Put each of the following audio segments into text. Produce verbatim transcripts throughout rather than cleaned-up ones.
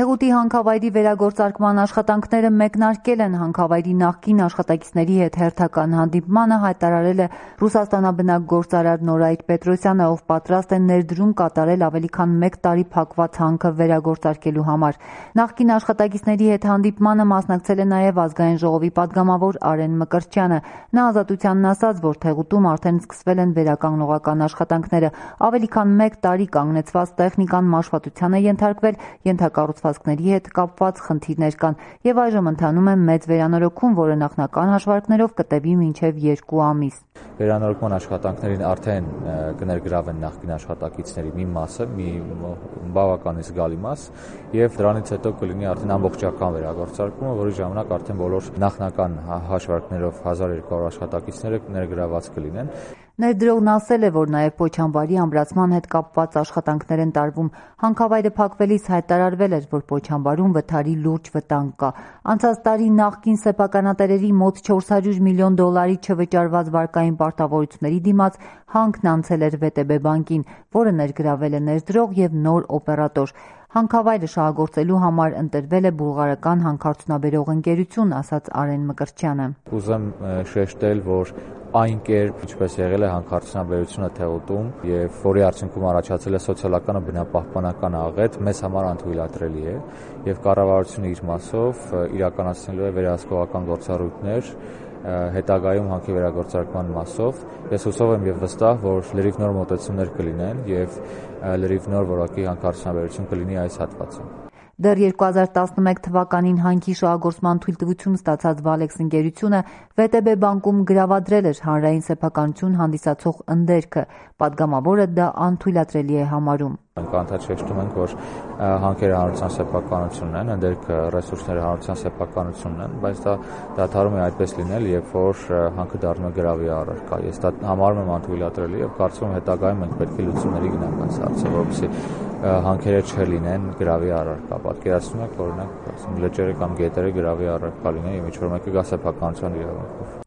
Թեղուտի հանքավայրի վերագործարկման աշխատանքները մեկնարկել են։ Հանքավայրի նախկին աշխատակիցների հետ հերթական հանդիպմանը հայտարարել է Ռուսաստանաբնակ գործարար Նորայր Պետրոսյանը, ով պատրաստ է ներդրում կատարել ավելի քան մեկ տարի փակված հանքը վերագործարկելու համար։ Նախկին աշխատակիցների հետ հանդիպմանը մասնակցել է նաև Ազգային ժողովի պատգամավոր Արեն Մկրտչյանը։ Նա Ազատությանն ասաց, որ Թեղուտում արդեն սկսվել են վերականգնողական աշխատանքները։ Ավելի քան մեկ տարի կանգնեցված տեխնիկան մաշվածության է ենթարկվել, ենթակառուցվածքների հետ կապված խնդիրներ կան եւ այժմ ընթանում է մեծ վերանորոգում, որը նախնական հաշվարկներով կտևի մինչեւ երկու ամիս։ Վերանորոգման աշխատանքներին արդեն կներգրավեն նախկին աշխատակիցների մի մասը, մի բավականին զգալի մաս, եւ դրանից հետո կլինի արդեն ամբողջական վերագործարկումը, որի ժամանակ արդեն բոլոր նախնական հաշվարկներով հազար երկու հարյուր աշխատակիցները ներգրաված կլինեն։ Ներդրողն ասել է, որ նաև Պոչամբարի ամրացման հետ կապված աշխատանքներ են տարվում։ Հանքավայրը փակվելիս հայտարարվել էր, որ Պոչամբարում վթարի լուրջ վտանգ կա։ Անցած տարի նախկին սեփականատերերի մոտ չորս հարյուր միլիոն դոլարի չվճարված վարկային պարտավորությունների դիմաց հանքն անցել էր վե տե բե բանկին, որը ներգրավել է ներդրող եւ նոր օպերատոր։ Հանքավայրը շահագործելու համար ընտրվել է բուլղարական հանքարդյունաբերող ընկերություն, ասաց Արեն Մկրտչյանը։ Ուզեմ շեշտել, որ այն կերպ, ինչպես եղել է հանքարդյունաբերությունը Թեղուտում եւ որի արդյունքում առաջացել է սոցիալական ու բնապահպանական աղետ, մեզ համար անթույլատրելի է եւ կառավարությունը իր մասով իրականացնելու է վերահսկողական գործառույթներ հետագայում հանքի վերագործարկման մասով։ Ես հուսով եմ եւ վստահ, որ լրիվ նոր մոտեցումներ կլինեն եւ լրիվ նոր որակի հանքարդյունաբերություն կլինի այս հատվածում։ Դեռ երկու հազար տասնմեկ թվականին հանքի շահագործման թույլտվություն ստացած Վալեքս ընկերությունը վե տե բե բանկում գրավադրել էր հանրային սեփականություն հանդիսացող ընդերքը։ Պատգամավորը դա անթույլատրելի է համարում։ Անդադար շեշտում ենք, որ հանքերը հանրության սեփականությունն են, ընդերքը ռեսուրսները հանրության սեփականությունն են, բայց դա դադարում է այդպես լինել, երբ որ հանքը դառնում է գրավի առարկա։ Ես դա համարում եմ անթույլատրելի եւ կարծում եմ հետագայում մենք պետք է լուծումների գնանք այս հարցը, որովհետեւ հանքերը չլինեն գրավի առարկա։ Պատկերացնում եք, օրինակ, լճերը կամ գետերը գրավի առարկա լինեն եւ ինչ-որ մեկը գա սեփականության իրավունքով։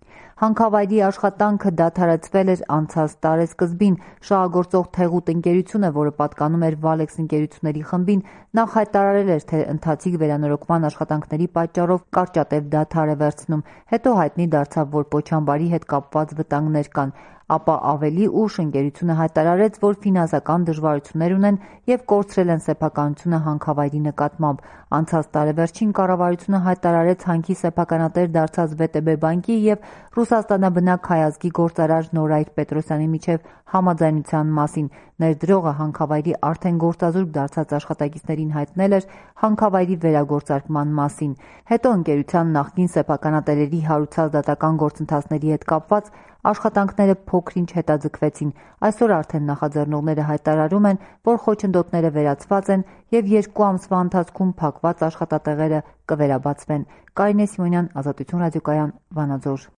Հանքավայրի աշխատանքը դադարեցվել էր անցած տարեսկզբին։ Շահագործող Թեղուտ ընկերությունը, որը պատկանում էր Վալեքս ընկերությունների խմբին, նախ հայտարարել էր, թե ընթացիկ վերանորոգման աշխատանքների պատճառով կարճատև դադար է վերցնում։ Հետո հայտնի դարձավ, որ Պոչամբարի հետ կապված վտանգներ կան։ Ապա ավելի ուշ ընկերությունը հայտարարեց, որ ֆինանսական դժվարություններ ունեն եւ կորցրել են սեփականությունը հանքավայրի նկատմամբ։ Անցած տարեվերջին կառավարությունը հայտարարեց հանքի սեփականատեր դարձած վե տե բե բանկի եւ Ռուսաստանաբնակ հայազգի գործարար Նորայր Պետրոսյանի միջև համաձայնության մասին։ Ներդրողը հանքավայրի արդեն գործազուրկ դարձած աշխատակիցներին հայտնել էր հանքավայրի վերագործարկման մասին։ Հետո ընկերության նախկին սեփականատերերի հարուցած դատական գործընթացների հետ կապված աշխատանքները փոքր-ինչ հետաձգվեցին։ Այսօր արդեն նախաձեռնողները հայտարարում են, որ խոչընդոտները վերացված են եւ երկու ամսվա ընթացքում փակված աշխատատեղերը կվերաբացվեն։ Կարինե Սիմոնյան, Ազատություն ռադիոկայան, Վանաձոր։